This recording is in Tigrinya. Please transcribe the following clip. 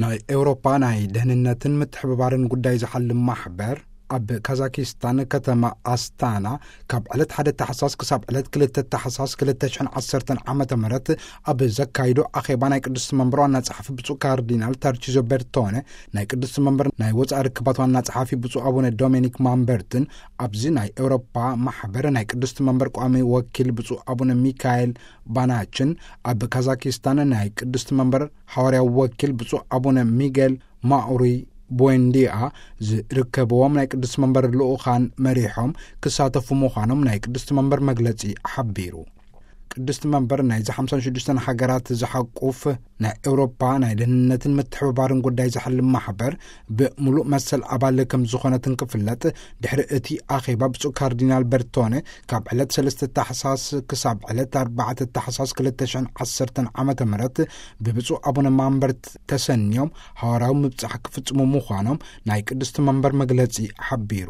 ናይ ኤውሮፓ ናይ ደህንነትን ምትሕብባርን ጉዳይ ዝሓልም ማሕበር፣ ኣብ ካዛኪስታን ከተማ ኣስታና፣ ካብ ዕለት ሓደ ታሕሳስ ክሳብ ዕለት ክልተ ታሕሳስ ክልተ ሽሕን ዓሰርተን ዓመተ ምህረት ኣብ ዘካይዶ ኣኼባ፣ ናይ ቅድስቲ መንበር ዋና ጸሓፊ ብፁዕ ካርዲናል ታርቺዞ በርቶነ፣ ናይ ቅድስቲ መንበር ናይ ወጻኢ ርክባት ዋና ጸሓፊ ብፁዕ ኣቡነ ዶሚኒክ ማምበርትን፣ ኣብዚ ናይ ኤውሮፓ ማሕበር ናይ ቅድስቲ መንበር ቋሚ ወኪል ብፁዕ ኣቡነ ሚካኤል ባናችን፣ ኣብ ካዛኪስታን ናይ ቅድስቲ መንበር ሓዋርያዊ ወኪል ብፁዕ ኣቡነ ሚጌል ማኡሪ ቦንዲያ ዝርከብዎም ናይ ቅድስቲ መንበር ልኡኻን መሪሖም ክሳተፉ ምዃኖም ናይ ቅድስቲ መንበር መግለጺ ሓቢሩ። ቅድስቲ መንበር ናይዚ ሓምሳን ሽዱሽተን ሃገራት ዝሓቁፍ ናይ ኤውሮፓ ናይ ደህንነትን ምትሕብባርን ጉዳይ ዝሓልም ማሕበር ብምሉእ መሰል ኣባል ከም ዝኾነትን ክፍለጥ፣ ድሕሪ እቲ ኣኼባ ብፁዕ ካርዲናል በርቶነ ካብ ዕለት ሰለስተ ታሕሳስ ክሳብ ዕለት ኣርባዕተ ታሕሳስ ክልተ ሽሕን ዓሰርተን ዓመተ ምህረት ብብፁዕ ኣቡነ ማምበርት ተሰንዮም ሃዋርያዊ ምብጻሕ ክፍጽሙ ምዃኖም ናይ ቅድስቲ መንበር መግለጺ ሓቢሩ።